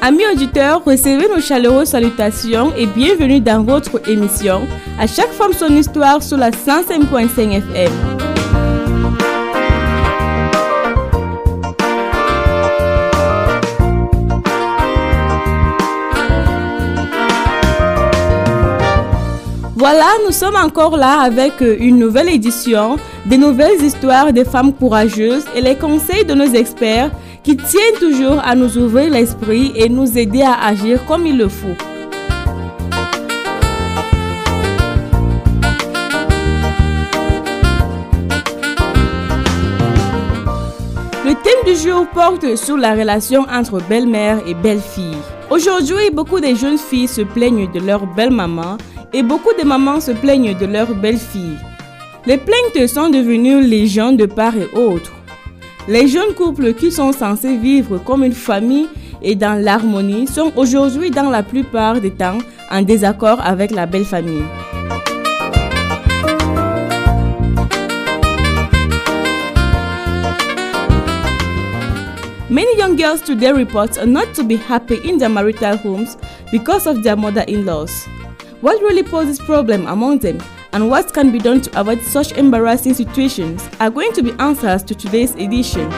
Amis auditeurs, recevez nos chaleureuses salutations et bienvenue dans votre émission À chaque femme son histoire sur la 105.5 FM. Voilà, nous sommes encore là avec une nouvelle édition, des nouvelles histoires des femmes courageuses et les conseils de nos experts qui tiennent toujours à nous ouvrir l'esprit et nous aider à agir comme il le faut. Le thème du jour porte sur la relation entre belle-mère et belle-fille. Aujourd'hui, beaucoup de jeunes filles se plaignent de leur belle-maman et beaucoup de mamans se plaignent de leur belle-fille. Les plaintes sont devenues légion de part et autre. Les jeunes couples qui sont censés vivre comme une famille et dans l'harmonie sont aujourd'hui dans la plupart des temps en désaccord avec la belle famille. Many young girls today report not to be happy in their marital homes because of their mother-in-laws. What really poses problem among them and what can be done to avoid such embarrassing situations are going to be answers to today's edition.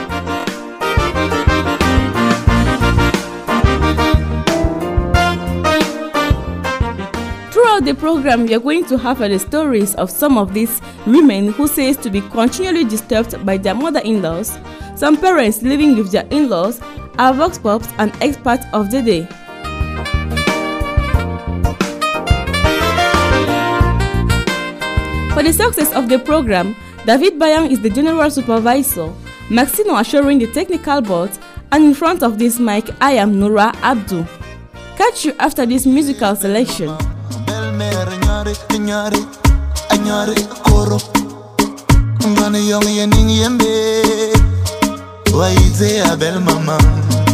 Throughout the program, we are going to have the stories of some of these women who says to be continually disturbed by their mother-in-laws, some parents living with their in-laws, our vox pops and experts of the day. For the success of the program, David Bayang is the general supervisor, Maxino assuring the technical board, and in front of this mic, I am Nura Abdu. Catch you after this musical selection.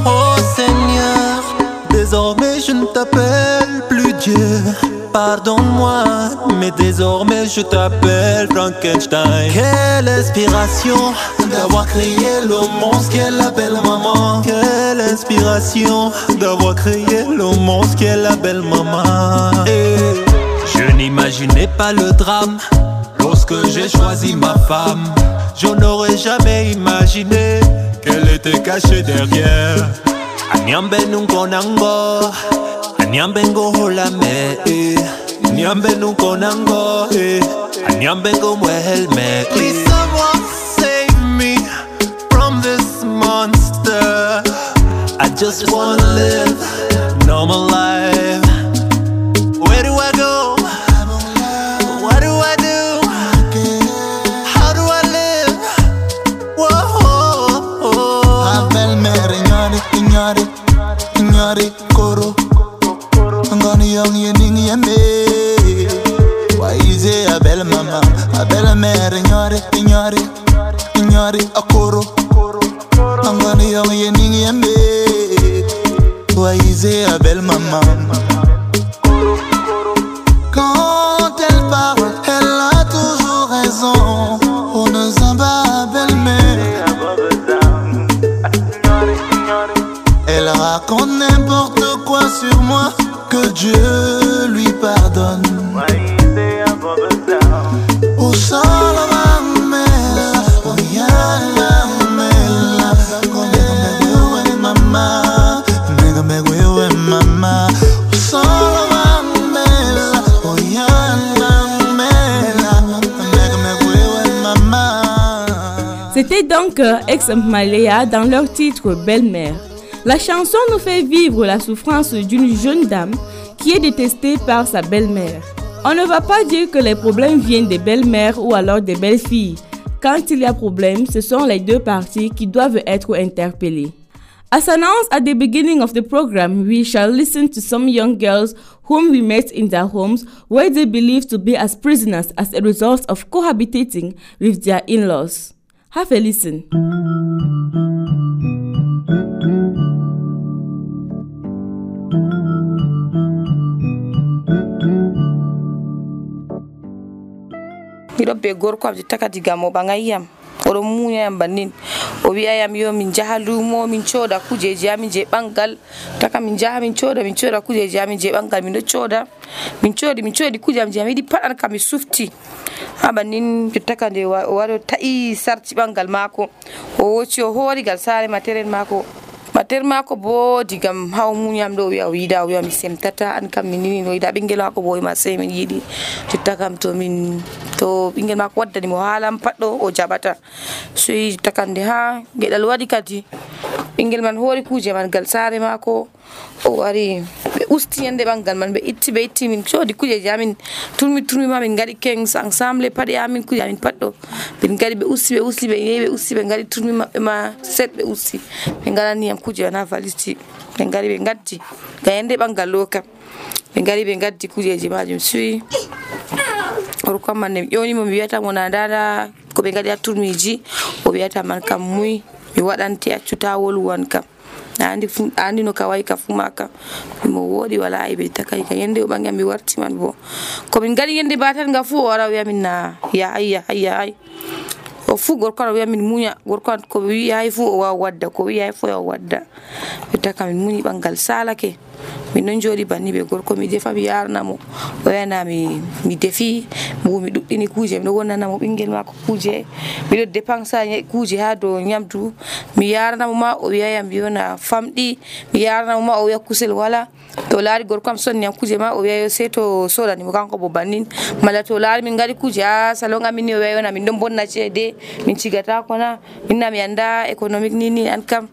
Oh Seigneur, désormais je ne t'appelle plus Dieu. Pardonne-moi, mais désormais je t'appelle Frankenstein. Quelle inspiration d'avoir créé le monstre qu'est la belle maman. Quelle inspiration d'avoir créé le monstre qu'est la belle maman. Je n'imaginais pas le drame lorsque j'ai choisi ma femme. Je n'aurais jamais imaginé qu'elle était cachée derrière. Anyambe nunkonango, anyambe ngoholame, anyambe nunkonango, anyambe ngomwelme. Please someone save me from this monster. I just wanna live normal life. Where do I go? What do I do? How do I live? Whoa. A belle-mère ignore, ignore koro. Ngani young yening yembe. Why is it a belle-mère ignore, ignore a koro. Ngani young yening yembe. Why is it a belle maman? Quand elle parle, elle a toujours raison. On ne s'en bat, belle-mère. Elle raconte n'importe quoi sur moi, que Dieu lui pardonne. Au sol, mamela, oh yala, mamela, mama, mama. Au sol, mamela, oh yala, mama. C'était donc Ex-Malaya dans leur titre Belle-mère. La chanson nous fait vivre la souffrance d'une jeune dame qui est détestée par sa belle-mère. On ne va pas dire que les problèmes viennent des belles-mères ou alors des belles-filles. Quand il y a problème, ce sont les deux parties qui doivent être interpellées. As announced at the beginning of the program, we shall listen to some young girls whom we met in their homes where they believed to be as prisoners as a result of cohabitating with their in-laws. Have a listen. Miɗo be gorko am jotta kadi gam o ɓangayam oɗon muñayam bannin o wi'ayam yo min jaha lumo min cooda kujeji amin je ɓangal taka min jaha min cooda kujeji amin je ɓangal min ɗo cooda min coodi kuje am je mi yiɗi pat an kam mi sufti ha bannin jotta kadi o wari o ta'i sarti ɓangal maako o woci o horigal saare materen maako bo digam haw muñam ɗo o wi'a o wi'a mi semtata an kam min nini no yiɗa ɓingel maako bo ma sey min yiɗi jotta kam to ɓingel maako waddani mo haalam pat ɗo o jaɓata so jotta kande ha geɗal waɗi kadi ɓingel man hoori kuje man gal saare maako o wari ɓe usti yande ɓangal man ɓe itti min coodi kujeji amin turmi ma min gaɗi kings ensemble paɗe amin kuje amin pat ɗo min gaɗi ɓe usti ɓe yehi ɓe usti ɓe gaɗi turmi maɓɓe ma set ɓe usti ɓe gaɗaniyam kuje wana valisti ɓe gaɗi ɓe gaddi ga yande ɓangal ɗo kam ɓe gaɗi ɓe gaddi kujeji majum suyi gorko man ne ƴonimo mi wiyata mo na dada ko ɓe gaɗi ha turmiji o wiyata man kam muy mi waɗante accuta wolwan kam andi no ka wayi ka fu maka mo wodi wala aybe takay ka yende o ɓangam mi warti man bo ko min gaɗi yende batan ga fu o wara wiya min na ya ay o fu gorko o wiya min muña gorko ko wi ay fu o wawa wadda ko wi ay fu o wadda taka min muñi ɓangal salake min non jooɗi banni ɓe gorko mi defa mi yarnamo o yana mi defi mi ɗuɗɗini kuje mi ɗo wonnanamo ɓingel mako kuje miɗo dépensa kuje ha dow nyamdu mi yarnamo ma o wiyayam yona famɗi mi yarnamo ma o wiya kusel wala to laari gorko am sonni am kuje ma o wiya sey to sodani mo kanko bo bannin mala to laari min gaɗi kuje ha salon amin ni o wiya yona min ɗon bonna ceede min cigatako na minna mi anda économique ni an kam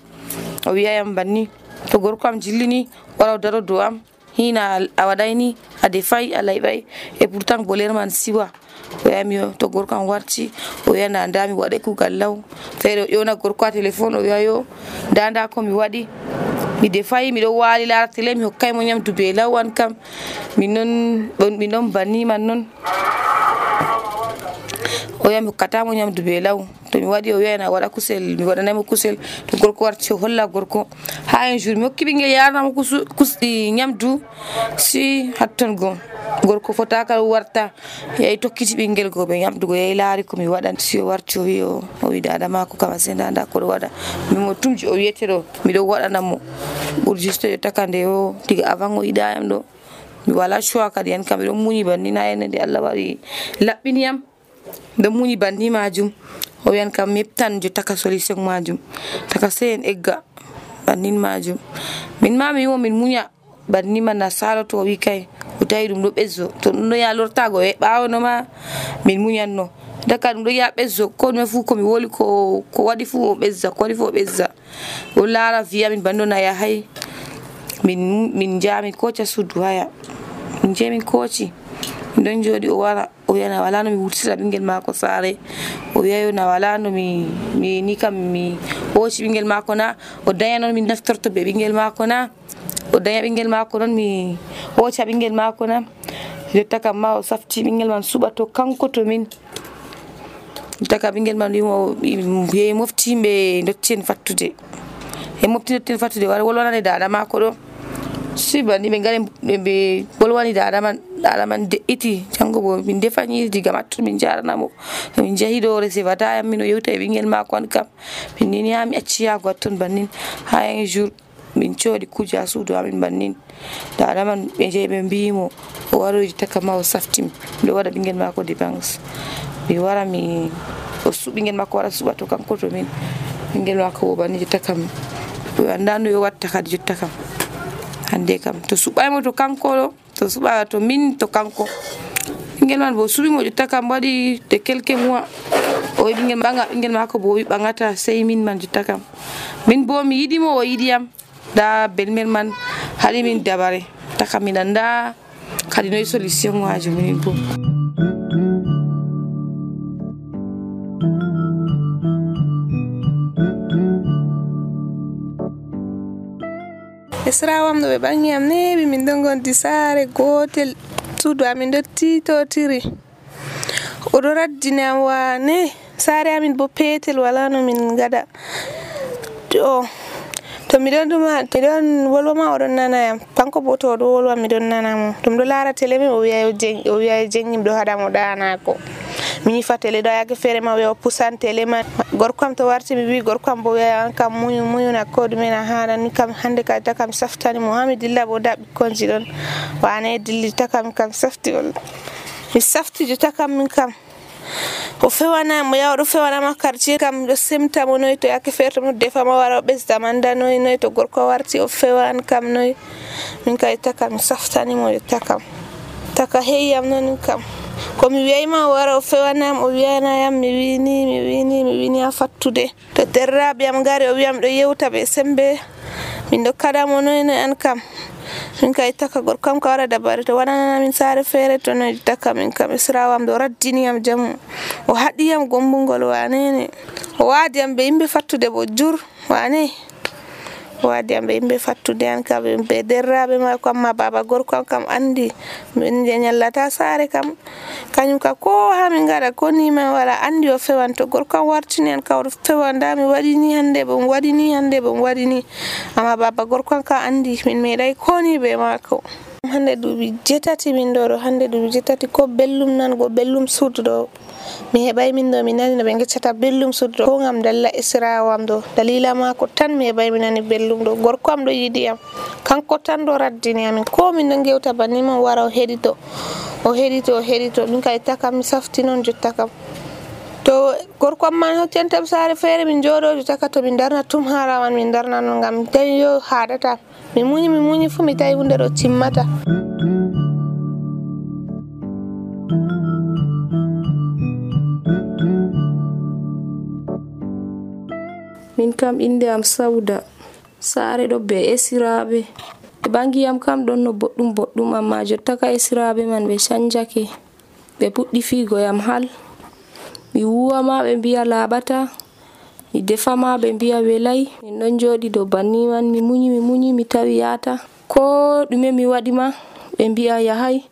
o wiyayam banni to gorko am jillini wara daro dow am hina a waɗayni a defay a layɓay e pourtant boler man siwa o wiyami to gorko am warti o wiya na nda mi waɗa kugal law feere o ƴewna gorko a téléphone o wiya yo nda ko mi waɗi mi defay miɗo waali laara télé mi hokkaymo nyamdu be law an kam min non banni man non o wiya mi hokkatamo nyamdu be law to mi waɗi o wiya na waɗa kusel mi waɗanaymo kusel to gorko warti o holla gorko ha un jour mi hokki ɓingel yarnamo nyamdu si hatton go gorko fotaka warta yeyi tokkiti ɓingel go ɓe nyamdugo yeyi laari ko mi waɗan si o warti o wi o wi dada mako kama se nda koɗo waɗa mimo tumji o wiyeteɗo miɗo waɗanamo ɓuri juste yo takande o diga avant o yiɗayam ɗo mi wala choix kadi yan kam miɗon muñi banni na ene nde Allah waɗi laɓɓiniyam ɗon muñi banni majum o wiyan kam mi heɓtan jotta ka solution majum taka sey en egga bannin majum min ma mi wimo min muña banni man na saloto o wi kay o tawi ɗum ɗo ɓezzo to ɗum ɗo ya lortago e ɓawono ma min muñanno daka ɗum ɗo ya ɓezzo ko ɗume fu komi woli ko waɗi fu o ɓezza ko waɗi fu o ɓezza o laara wiya min banni ɗo na yahay min jami koca suddu haya min je min koci min ɗon jooɗi o wara o wiya na wala no mi wurtira ɓingel mako saare o wiya yo na wala no mi ni kam mi hooci ɓingel mako na o daña noon min naftorto be ɓingel mako na o daña ɓingel mako noon mi hooca ɓingel mako na jotta kam ma o safti ɓingel man suɓa to kanko to min jotta kam ɓingel man wimo yeyi mofti ɓe dottien fattude wara wolwanane dada mako ɗo si banni ɓe ngari ɓe wolwani dada man de'iti jango bo min defani diga mattu min jaranamo min jahi ɗo resevata yam min o yewta e ɓingel mako an kam min nini ha mi acci yago hatton bannin ha un jour min coodi kuje ha suudu amin bannin dada man ɓe jeeyi ɓe mbimo o waroji taka ma o saftim miɗo waɗa ɓingel mako dépense mi wara o ɓingel mako wara suɓa to kanko to min ɓingel mako bo banni jotta kam o anda no yo watta kadi jotta kam hande kam to suɓaymo to kanko ɗo to suɓa to min to kanko ɓingel man bo suɓimo jotta kam waɗi de quelques mois o wi ɓingel ɓanga ɓingel mako bo wi ɓangata sey min man jotta kam min bo mi yiɗimo o yiɗiyam da belmel man haɗi min dabare taka min anda kadi noyi solution majum min bo esrawam do be bangi am nebi min don gondi sare gotel suudu amin do titotiri odo raddini am wane sare amin bo petel wala no min gada to mi don wolwama odon nana yam kanko bo to do wolwa mi don nana mo to do lara tele mi o wi'a jengim do hada mo dana ko mi fa tele do yake fere ma wi'a pusan tele man gorkam to warti mi wi gorkam bo wi'a an kam muyu na ko dum na hada ni kam hande ka ta kam saftani mo hami dilla bo da bikkonji don wane dilli ta kam safti ol mi safti jo ta kam min kam o fewana mo yaw do fewana ma quartier kam do semta mo noy to yake ferto mo defa ma wara besda manda noy to gorko warti o fewan kam noy min kay takam saftani mo takam taka heyam non kam ko mi weyma wara o fewanam o wiyana yam mi wini a fattude to derrabe am gari o wiyam do yewta be sembe min do kada mo noy an kam min kay taka gorkam ka wara dabare to wanana min sare fere to no taka min kam israwam do raddini am jam o hadi am gombungol wanene o wadi am be yimbe fattude bo jur wane wadi am be yimbe fattude an kam be derrabe ma kam ma baba gorkam kam andi min nyallata sare kam kanyum ka ko ha min ngada ko ni ma wala andi o fewan to gorkam wartini an ka o fewanda mi wadini hande bo wadini amma baba gorkam ka andi min medai ko ni be mako hande dubi jetati min do hande dubi jetati ko bellum nan go bellum suudo mi hebay min do mi nani no be geccata bellum suudo ko ngam dalla israwam do dalila mako tan mi hebay min nani bellum do gorko am do yidi am kanko tan do raddini am ko min do gewta banni mo wara o hedito min kay taka mi safti non jotta kam to gorko am man hoccentam sare fere min jodo jotta to min darna tum harawan min darna no ngam tawi yo hadata mi munyi fu mi tawi hunde do timmata min kam inde am Sauda sare do be esirabe e bangi am kam don no boddum amma jotta ka esirabe man be sanjake be puddi figo yam hal mi wuwa ma be biya labata mi defa ma be biya welai min don jodi do banni man mi munyi mi tawi yata ko dume mi wadi ma be biya yahay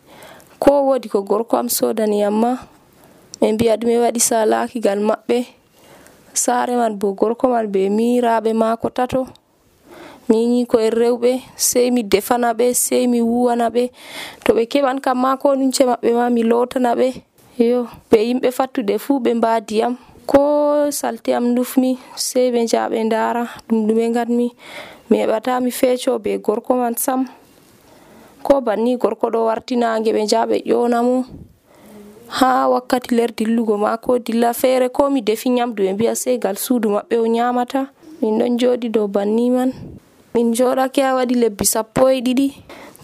ko wodi ko gorko am sodani yamma be biya dume wadi salaki gal mabbe sare man bo gorko man be miraabe mako tato mini ko rewbe sey mi defana be sey mi wuwana be to be keban kam mako nunce mabbe ma mi lotana be yo be yimbe fattude fu be mbadiyam ko salti am dufmi sey be jaabe ndara dume ngadmi mi hebata mi fecho be gorko man sam ko banni gorko do wartinaange be jaabe yonamo ha wakkati ler dillugo mako dilla fere ko mi defi nyamdu be biya sey gal suudu mabbe o nyamata min don jodi do banni man min jodake a wadi lebbi 12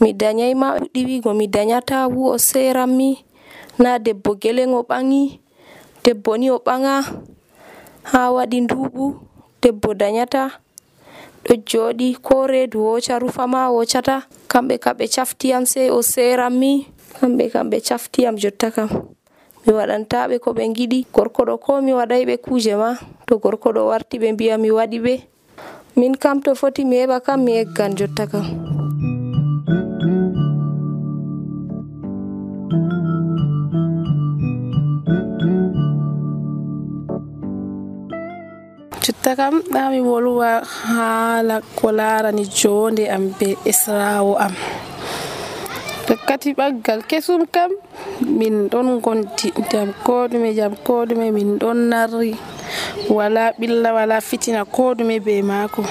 mi danyai ma diwi go mi danyata wu o serammi na debbo gelen o bangi debbo ni o banga ha wadi ndubu debbo danyata do jodi ko redu o charufa ma o chata kambe chafti am sey o serammi kambe chafti am jotta kam mi wadanta be ko be ngidi gorko do ko mi wadai be kuje ma to gorko do warti be biya mi wadi be min kam to foti mi heba kam mi eggan jotta kam jotta kam dami wolwa hala ko larani jonde am be esrawo am wakkati baggal kesum kam min don gonti jam kodume min don narri wala billa wala fitina kodume be mako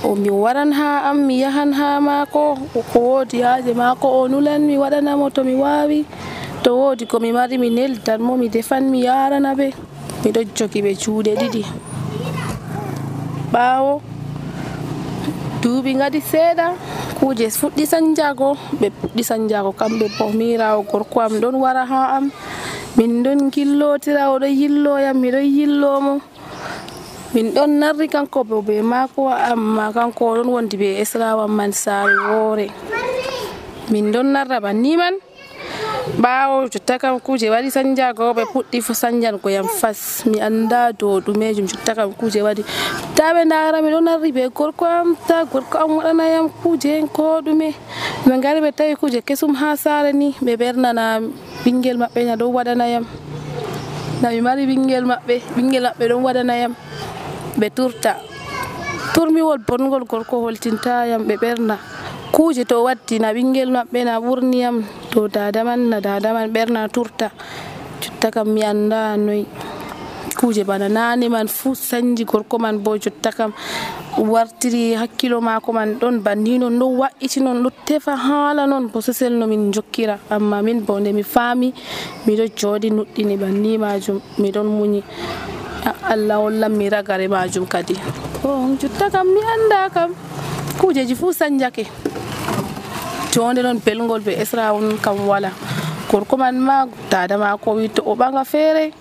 o mi waran ha am mi yahan ha mako ko wodi haaje mako o nulan mi wadana mo to mi wawi to wodi ko mi mari mi neldan mo mi defan mi yarana be mi do jogi be juude didi bawo duubi ngadi seeda kuje fuddi sanjago be puddi sanjago kambe bo mirawo gorko am don wara ha am min don gillotira o do yillo yam mi do yillo mo min don narri kanko be mako amma kanko don wondi be esrawam man sare wore min don narra banni man ɓaawo jotta kam kuje waɗi sanjago ɓe puɗɗi fo sanjango yam fas mi anda dow ɗumejum jotta kam kuje waɗi ta ɓe ndara mi ɗo narri be gorko am ta gorko am waɗana yam kuje ko ɗume ɓe ngari ɓe tawi kuje kesum ha sare ni ɓe ɓernana ɓingel maɓɓe na ɗon waɗana yam na mi mari ɓingel maɓɓe ɗon waɗana yam ɓe turmiwol bongol gorko holtinta yam ɓe ɓerna kuje to waddi na ɓingel maɓɓe na ɓurni yam to dadaman ɓerna turta jotta kam mi anda noyi kuje bana nane man fu sanji gorko man bo jotta kam wartiri hakkilo mako man ɗon banni non ɗo wa'iti non ɗo tefa hala non bosesel no min jokkira amma min bo nde mi faami miɗo jooɗi nuɗɗini banni majum miɗon muñi Allah hollan mi ragare majum kadi jotta kam mi anda kam kujeji fu sanjake jonde non belgol be esrawon kam wala gorko man ma dada mako wi to o ɓanga feere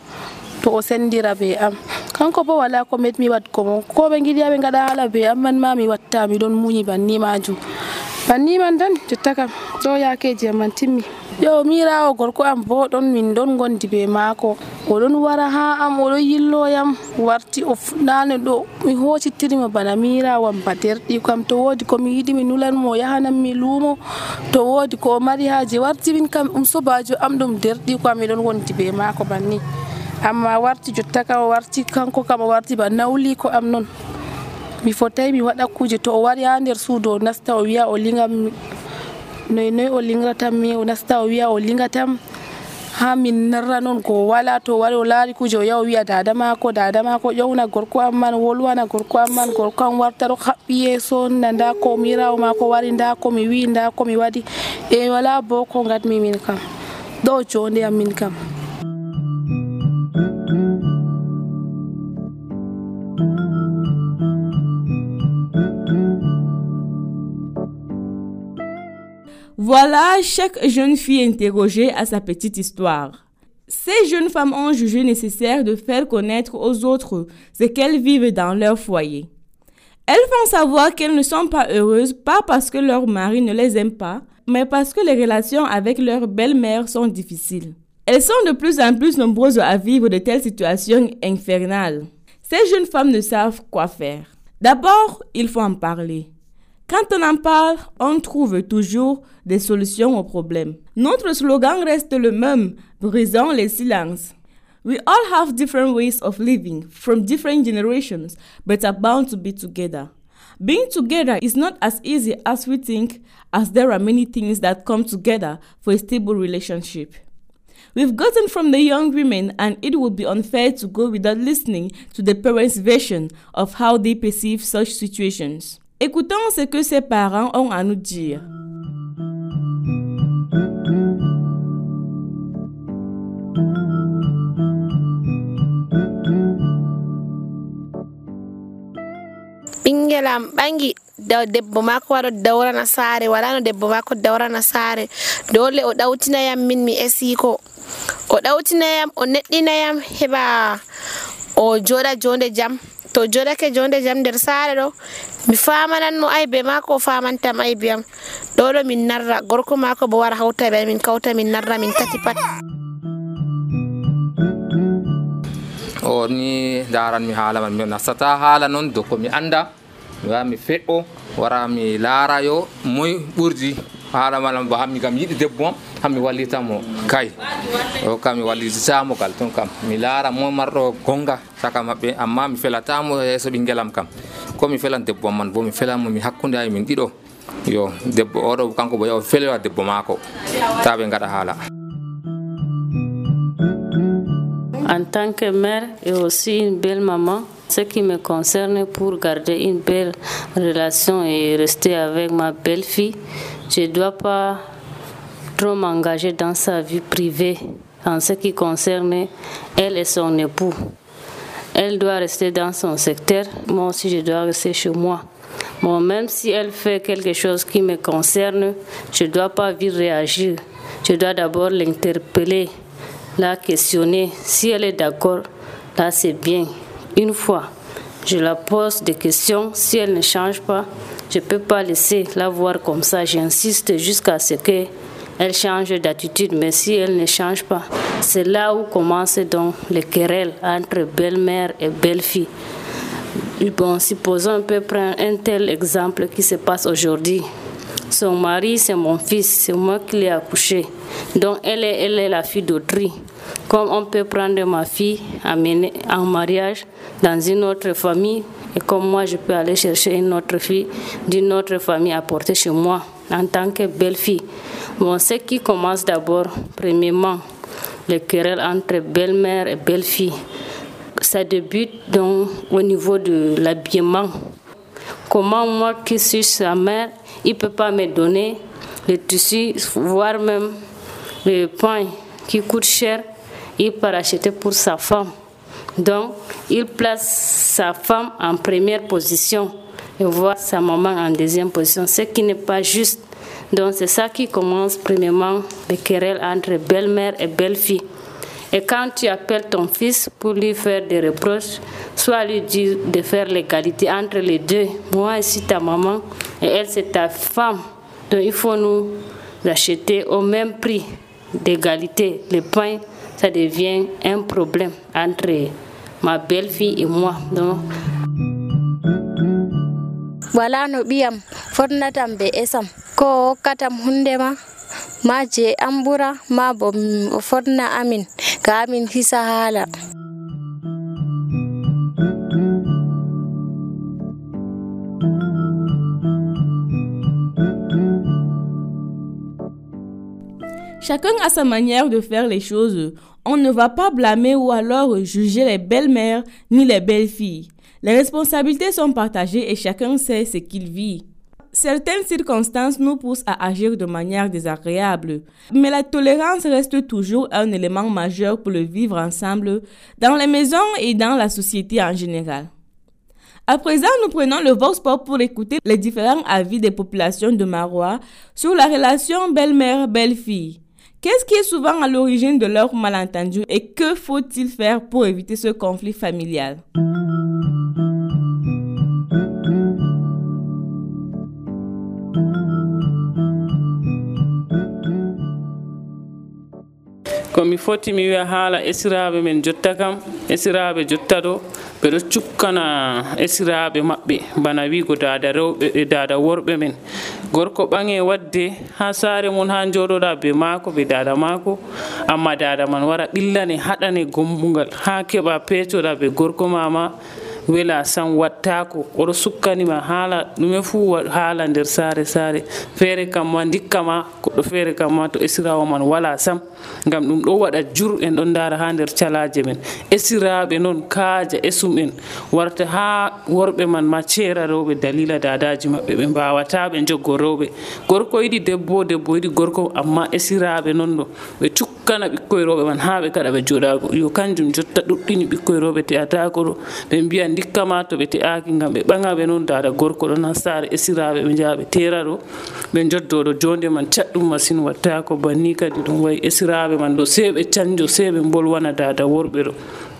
to o sendira be am kanko bo wala ko metmi wadgo mo ko ɓe giɗi ɓe ngaɗa hala be am man ma mi watta miɗon muñi banni majum banni man tan jotta kam ɗo yakeji am man timmi yo mirawo gorko am bo ɗon min ɗon gondi be maako oɗon wara ha am oɗon yilloyam warti o fuɗɗano ɗo mi hocittirimo bana mirawo am ba derɗi kam to wodi ko mi yiɗi mi nulan mo yahanan mi luumo to wodi ko o mari haje warti min kam sobajo am ɗum derɗi kam miɗon gondi be maako banni amma warti jotta kam o warti kanko kam o warti ba nawli ko am non mi fotai mi waɗa kuje to o wari ha nder suudu o nasta o wiya o lingam noy o lingratam mi o nasta o wiya o lingatam ha min narra non ko wala to wari o laari kuje o yaha o wiya dada mako ƴewna gorko am man wolwana gorko am man gorko am warta ɗo haɓɓi yeeso nda ko mirawo mako wari nda ko mi wi nda ko mi waɗi e wala bo ko ngatmi min kam ɗo jonde am min kam. Voilà chaque jeune fille interrogée à sa petite histoire. Ces jeunes femmes ont jugé nécessaire de faire connaître aux autres ce qu'elles vivent dans leur foyer. Elles font savoir qu'elles ne sont pas heureuses, pas parce que leur mari ne les aime pas, mais parce que les relations avec leur belle-mère sont difficiles. Elles sont de plus en plus nombreuses à vivre de telles situations infernales. Ces jeunes femmes ne savent quoi faire. D'abord, il faut en parler. Quand on en parle, on trouve toujours des solutions aux problèmes. Notre slogan reste le même, brisons les silences. We all have different ways of living from different generations, but are bound to be together. Being together is not as easy as we think, as there are many things that come together for a stable relationship. We've gotten from the young women, and it would be unfair to go without listening to the parents' version of how they perceive such situations. Écoutons ce que ses parents ont à nous dire. Ɓingelam ɓangi debbo mako waɗo dawrana saare wala no debbo mako dawrana saare dole o ɗawtinayam min mi esiko o ɗawtinayam o neɗɗinayam heɓa o joɗa jonde jam to joɗake jonde jam nder saare ɗo mi famananmo aybe mako o famantam aybe am ɗo min narra gorko mako bo wara hawta be min kawta min narra min tati pat. O ni daran mi haala man mi nastata haala non do ko mi anda mi wa mi feɗɗo wara mi laara yo moy ɓurdi haala malam ba hammi kam yiɗi debbo am hammi wallitamo kay o kam mi wallitamo kal ton kam mi laara mo marɗo gonga saka maɓɓe amma mi felatamo yeeso ɓingelam kam ko mi felan debbo am man bo mi felamo mi hakkunde ay min ɗiɗo yo debbo oɗo kanko bo yo felewa debbo maako ta ɓe ngaɗa haala. En tant que mère et aussi une belle maman, ce qui me concerne pour garder une belle relation et rester avec ma belle-fille, je ne dois pas trop m'engager dans sa vie privée en ce qui concerne elle et son époux. Elle doit rester dans son secteur, moi aussi je dois rester chez moi. Bon, même si elle fait quelque chose qui me concerne, je ne dois pas vite réagir. Je dois d'abord l'interpeller, la questionner. Si elle est d'accord, là c'est bien. Une fois, je la pose des questions. Si elle ne change pas, je ne peux pas laisser la voir comme ça. J'insiste jusqu'à ce qu'elle elle change d'attitude, mais si elle ne change pas, c'est là où commencent donc les querelles entre belle-mère et belle-fille. Bon, supposons on peut prendre un tel exemple qui se passe aujourd'hui. Son mari, c'est mon fils, c'est moi qui l'ai accouché. Donc, elle est la fille d'autrui. Comme on peut prendre ma fille, amener en mariage dans une autre famille, et comme moi, je peux aller chercher une autre fille d'une autre famille à porter chez moi en tant que belle-fille. Bon, ce qui commence d'abord, premièrement, les querelles entre belle-mère et belle-fille. Ça débute donc au niveau de l'habillement. Comment moi qui suis sa mère, il ne peut pas me donner le tissu, voire même le pain qui coûte cher, il peut acheter pour sa femme. Donc, il place sa femme en première position et voit sa maman en deuxième position, ce qui n'est pas juste. Donc, c'est ça qui commence premièrement les querelles entre belle-mère et belle-fille. Et quand tu appelles ton fils pour lui faire des reproches, soit lui dire de faire l'égalité entre les deux. Moi, je suis ta maman et elle, c'est ta femme. Donc, il faut nous acheter au même prix d'égalité. Le pain, ça devient un problème entre ma belle-fille et moi. Donc, voilà no ɓiyam fotnatam be esam ko hokkatam hundema ma je ambura ma bo o fotna amin ka amin hisa hala. Chacun a sa manière de faire les choses. On ne va pas blâmer ou alors juger les belles-mères ni les belles-filles. Les responsabilités sont partagées et chacun sait ce qu'il vit. Certaines circonstances nous poussent à agir de manière désagréable, mais la tolérance reste toujours un élément majeur pour le vivre ensemble dans les maisons et dans la société en général. À présent, nous prenons le Vox Pop pour écouter les différents avis des populations de Maroua sur la relation belle-mère-belle-fille. Qu'est-ce qui est souvent à l'origine de leurs malentendus et que faut-il faire pour éviter ce conflit familial? komi foti mi wiya haala esiraɓe men jotta kam esiraɓe jotta ɗo ɓeɗo cukkana esiraɓe maɓɓe bana wigo dada rewɓe e dada worɓe men gorko ɓange wadde ha saare mum ha joɗoɗa be maako be dada maako amma dada man wara ɓillane haɗane gombungal ha keɓa pecoɗa be gorko mama wela san wattako oɗo sukkanima haala ɗume fuu haala nder saare feere kam ma dikkama goɗɗo feere kam ma to esirawo man wala sam ngam ɗum ɗo waɗa jur en ɗon dara ha nder calaje men esiraɓe noon kaaja esum en warta ha worɓe man ma ceera rewɓe dalila dadaji maɓɓe ɓe mbawata ɓe joggo rewɓe gorko yiɗi debbo yiɗi gorko amma esiraɓe noon ɗo ɓe cukkana ɓikkoye rewɓe man ha ɓe kada ɓe joɗago yo kanjum jotta ɗuɗɗini ɓikkoye rewɓe te'atako ɗo ɓe mbiya dikkama to ɓe te'aki ngam ɓe ɓaŋaɓe noon dada gorko ɗon ha saare esiraɓe ɓe jaha ɓe tera ɗo ɓe joddoɗo jonde man caɗɗum masine wattako banni kadi ɗum wayi esiraɓe man ɗo sei ɓe canjo sei ɓe bolwana dada worɓe ɗo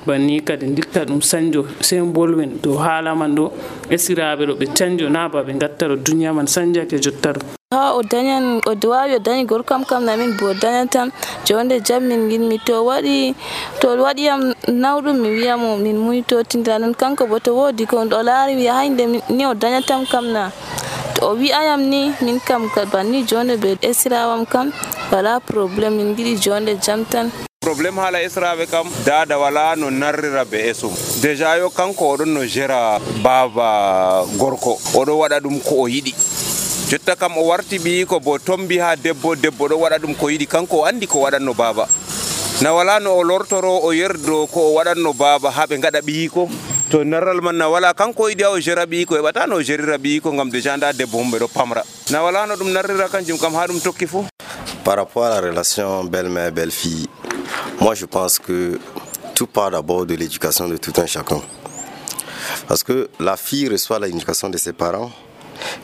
banni kadi dikka ɗum sanjo sei bolwen dow haala man ɗo esiraɓe ɗo ɓe canjo na ba ɓe gatta ɗo duniya man sanjake jotta ɗo ha o dañan o wawi o dañi gorkam kam namin bo dañatam jonde jam min ginmi to waɗiyam nawɗum mi wiyamo min muytotindira non kanko bo to wodi ko o laari wiya haynde ni o dañatam kam na to o wi'ayam ni min kam banni jonde be esirawam kam wala probléme min giɗi jonde jam tan problème hala esraɓe kam dada wala no narrira be esum déjà yo kanko oɗon no gera baba gorko oɗo waɗa ɗum ko o yiɗi jotta kam o warti ɓiyiko bo tombi ha debbo ɗo waɗa ɗum ko yiɗi kanko o andi ko waɗanno baba na wala no o lortoro o yerdo ko o waɗanno baba ha ɓe gaɗa ɓiyiko to narral man na wala kanko yiɗi o gera ɓiyiko heɓata no o gerira ɓiyiko ngam déjà nda debbo humɓe ɗo pamra na wala no ɗum narrira kanjum kam ha ɗum tokki fou. Par rapport à la relation belle-mère belle-fille, moi je pense que tout part d'abord de l'éducation de tout un chacun, parce que la fille reçoit l'éducation de ses parents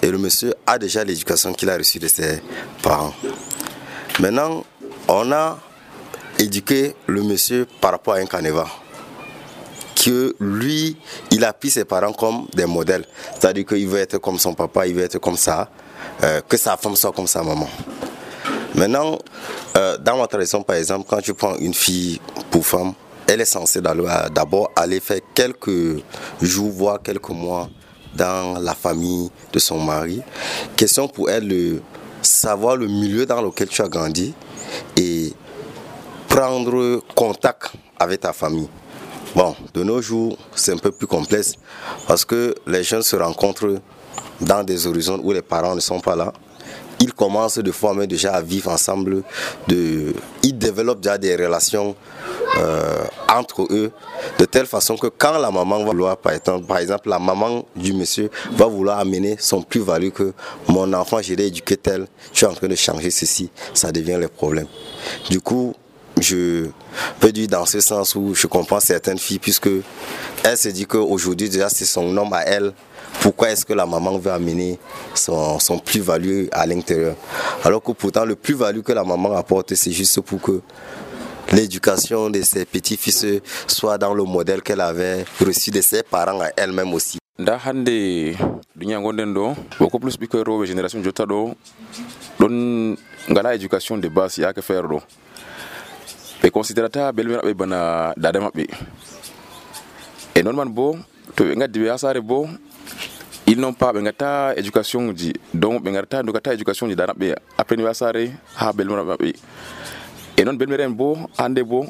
et le monsieur a déjà l'éducation qu'il a reçue de ses parents. Maintenant, on a éduqué le monsieur par rapport à un canevas, que lui, il a pris ses parents comme des modèles, c'est-à-dire qu'il veut être comme son papa, il veut être comme ça, que sa femme soit comme sa maman. Maintenant, dans ma tradition, par exemple, quand tu prends une fille pour femme, elle est censée d'abord aller faire quelques jours, voire quelques mois dans la famille de son mari. Question pour elle de savoir le milieu dans lequel tu as grandi et prendre contact avec ta famille. Bon, de nos jours, c'est un peu plus complexe parce que les jeunes se rencontrent dans des horizons où les parents ne sont pas là. Ils commencent de fois déjà à vivre ensemble, ils développent déjà des relations entre eux, de telle façon que quand la maman va vouloir, par exemple, la maman du monsieur va vouloir amener son plus-value que mon enfant, je l'ai éduqué tel, je suis en train de changer ceci, ça devient le problème. Du coup, je peux dire dans ce sens où je comprends certaines filles, puisque elle se dit qu'aujourd'hui déjà c'est son homme à elle. Pourquoi est-ce que la maman veut amener son plus-value à l'intérieur? Alors que pourtant le plus-value que la maman apporte, c'est juste pour que l'éducation de ses petits-fils soit dans le modèle qu'elle avait reçu de ses parents à elle-même aussi. Da hande dunya gonden do beaucoup plus biko robe génération jota do don ngala éducation de base ya ka faire do be considerata belmira be bana dada mabbe et normalement bo to be ngaddi be asare bo ils n'ont pas bengata éducation di donc bengata ndokata éducation di dana be après asare ha belmira mabbe et non belmira bo ande bo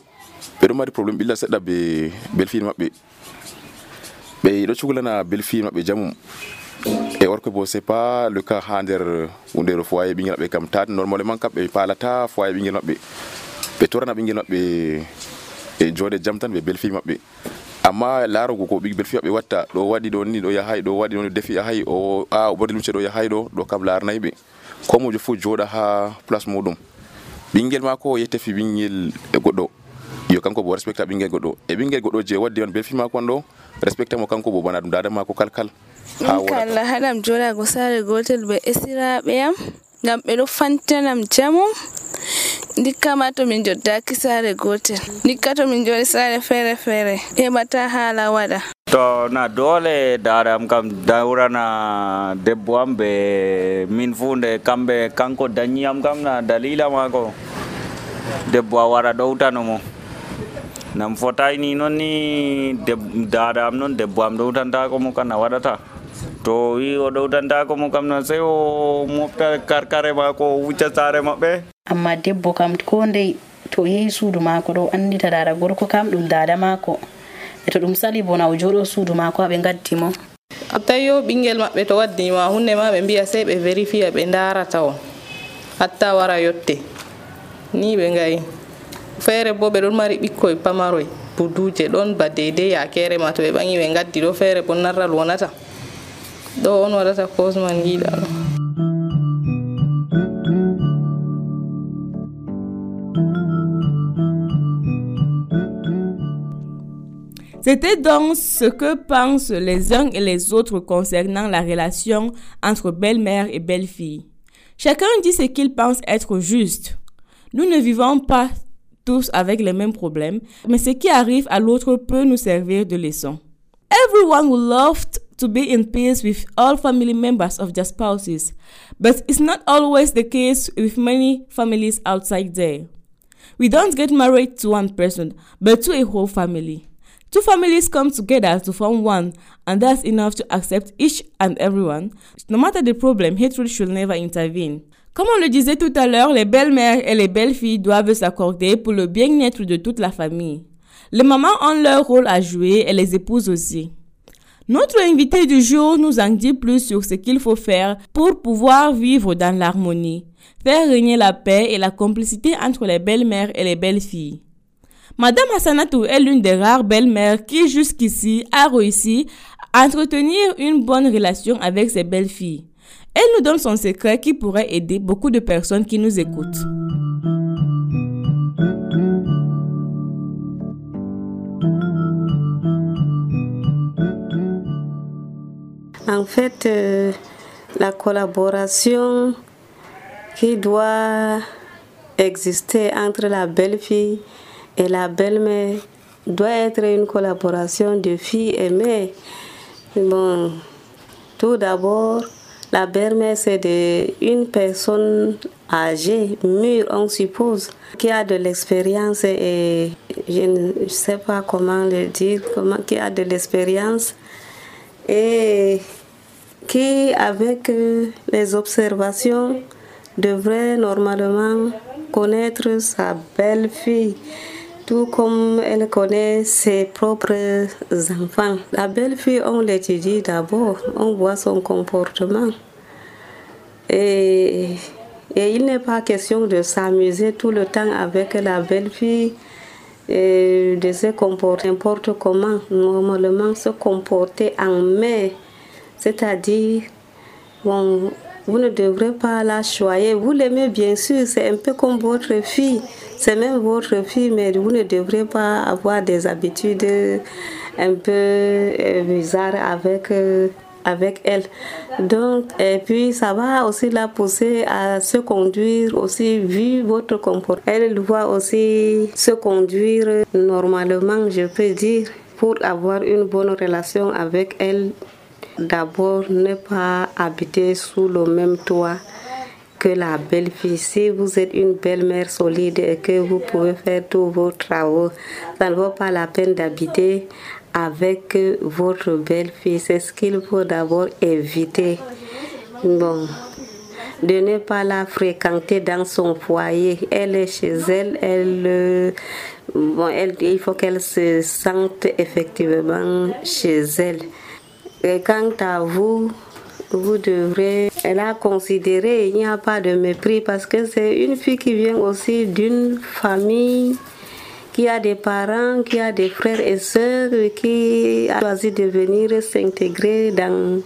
be do mari problème billa sedda be belfil mabbe be do chugulana belfil mabbe jamum et or que bon c'est pas le cas hander under foyer bingel be kam tat normalement kambe palata foyer bingel mabbe be torana bingel mabbe e jode jamtan be belfil mabbe amma laaro ko big belfil mabbe watta do wadi do ni do yahay do wadi do defi yahay o bodilum ce do yahay do kam laar naybe ko mo fu joda ha place modum bingel mako yete fi bingel e goddo yo kanko bo respecta bingel goddo e bingel goddo je waddi on belfil mako do respecta mo kanko bo bana dum dada mako kalkal kala hadam joda go sare gotel be esirabe yam ngam be do fantanam jamu dikama to min jodda ki sare gotel dikkato min jodi sare fere e mata hala wada to na dole daram kam daurana debbo ambe min funde kambe kanko danyam kam na dalila mako debbo wara dowtano mo nam fotay ni non ni daram non debbo am dowtanta ko mo kana wadata to wi o dowtanta ko mo kam na sey o mofta karkare mako wucca sare mabbe amma debbo kam ko ndey to yehi suudu mako do andita dada gorko kam dum dada mako e to dum sali bona o jodo suudu mako be gaddimo atayo bingel mabbe to waddi ma hunne ma be biya sey be verify be ndarata o hatta wara yotte ni be ngai fere bo be don mari bikkoy pamaroy buduje don ba dede ya kere ma to be bangi be gaddi do fere bon narral wonata do on wadata cosman gida no. C'était donc ce que pensent les uns et les autres concernant la relation entre belle-mère et belle-fille. Chacun dit ce qu'il pense être juste. Nous ne vivons pas tous avec les mêmes problèmes, mais ce qui arrive à l'autre peut nous servir de leçon. Everyone would love to be in peace with all family members of their spouses, but it's not always the case with many families outside there. We don't get married to one person, but to a whole family. Two families come together to form one, and that's enough to accept each and everyone. No matter the problem, hatred should never intervene. Comme on le disait tout à l'heure, les belles-mères et les belles-filles doivent s'accorder pour le bien-être de toute la famille. Les mamans ont leur rôle à jouer et les épouses aussi. Notre invité du jour nous en dit plus sur ce qu'il faut faire pour pouvoir vivre dans l'harmonie, faire régner la paix et la complicité entre les belles-mères et les belles-filles. Madame Hassanatou est l'une des rares belles-mères qui jusqu'ici a réussi à entretenir une bonne relation avec ses belles-filles. Elle nous donne son secret qui pourrait aider beaucoup de personnes qui nous écoutent. En fait, la collaboration qui doit exister entre la belle-fille et la belle-mère doit être une collaboration de filles et mères. Bon, tout d'abord, La belle-mère, c'est une personne âgée, mûre, on suppose, qui a de l'expérience et je ne sais pas comment le dire, qui a de l'expérience et qui, avec les observations, devrait normalement connaître sa belle-fille, tout comme elle connaît ses propres enfants. La belle-fille, on l'étudie d'abord, on voit son comportement. Et il n'est pas question de s'amuser tout le temps avec la belle-fille et de se comporter n'importe comment. Normalement, se comporter en mère, c'est-à-dire, bon, vous ne devrez pas la choyer. Vous l'aimez bien sûr, c'est un peu comme votre fille. C'est même votre fille, mais vous ne devrez pas avoir des habitudes un peu bizarres avec elle. Donc, et puis ça va aussi la pousser à se conduire aussi, vu votre comportement. Elle doit aussi se conduire normalement, je peux dire, pour avoir une bonne relation avec elle. D'abord, ne pas habiter sous le même toit que la belle-fille. Si vous êtes une belle-mère solide et que vous pouvez faire tous vos travaux, ça ne vaut pas la peine d'habiter avec votre belle-fille. C'est ce qu'il faut d'abord éviter. Bon, de ne pas la fréquenter dans son foyer. Elle est chez elle, il faut qu'elle se sente effectivement chez elle. Et quant à vous, vous devrez la considérer, il n'y a pas de mépris parce que c'est une fille qui vient aussi d'une famille qui a des parents, qui a des frères et sœurs, qui a choisi de venir s'intégrer dans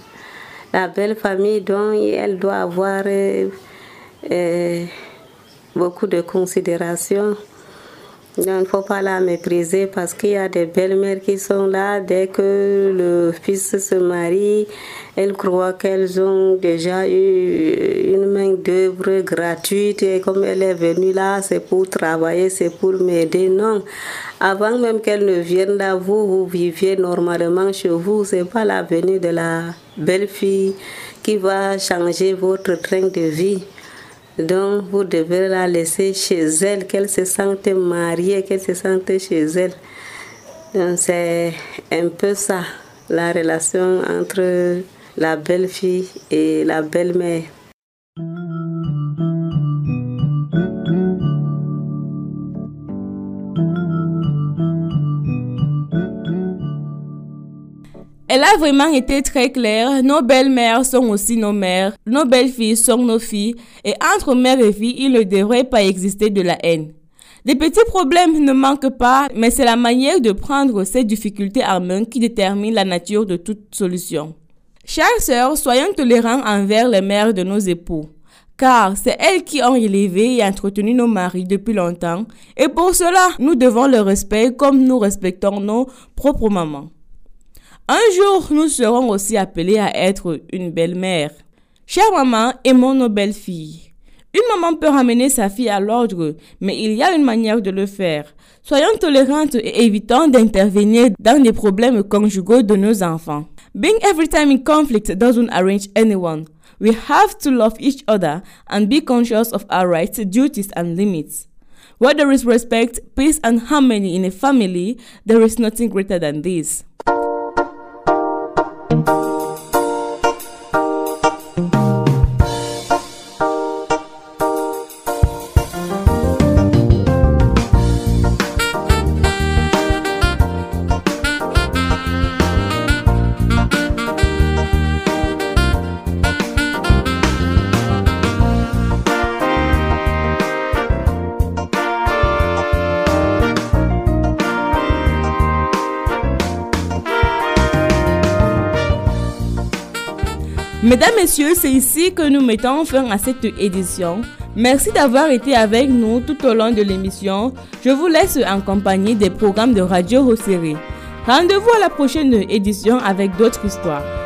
la belle famille dont elle doit avoir beaucoup de considération. Donc, il ne faut pas la mépriser parce qu'il y a des belles-mères qui sont là. Dès que le fils se marie, elles croient qu'elles ont déjà eu une main-d'œuvre gratuite. Et comme elle est venue là, c'est pour travailler, c'est pour m'aider. Non. Avant même qu'elle ne vienne là, vous viviez normalement chez vous. Ce n'est pas la venue de la belle-fille qui va changer votre train de vie. Donc, vous devez la laisser chez elle, qu'elle se sente mariée, qu'elle se sente chez elle. Donc, c'est un peu ça, la relation entre la belle-fille et la belle-mère. Elle a vraiment été très claire. Nos belles-mères sont aussi nos mères. Nos belles-filles sont nos filles. Et entre mère et fille, il ne devrait pas exister de la haine. Des petits problèmes ne manquent pas, mais c'est la manière de prendre ces difficultés en main qui détermine la nature de toute solution. Chères sœurs, soyons tolérants envers les mères de nos époux. Car c'est elles qui ont élevé et entretenu nos maris depuis longtemps. Et pour cela, nous devons le respect comme nous respectons nos propres mamans. Un jour, nous serons aussi appelés à être une belle-mère. Chère maman, aimons nos belles-filles. Une maman peut ramener sa fille à l'ordre, mais il y a une manière de le faire. Soyons tolérantes et évitons d'intervenir dans les problèmes conjugaux de nos enfants. Being every time in conflict doesn't arrange anyone. We have to love each other and be conscious of our rights, duties and limits. Where there is respect, peace and harmony in a family, there is nothing greater than this. Mesdames, Messieurs, c'est ici que nous mettons fin à cette édition. Merci d'avoir été avec nous tout au long de l'émission. Je vous laisse en compagnie des programmes de Radio Rosséré. Rendez-vous à la prochaine édition avec d'autres histoires.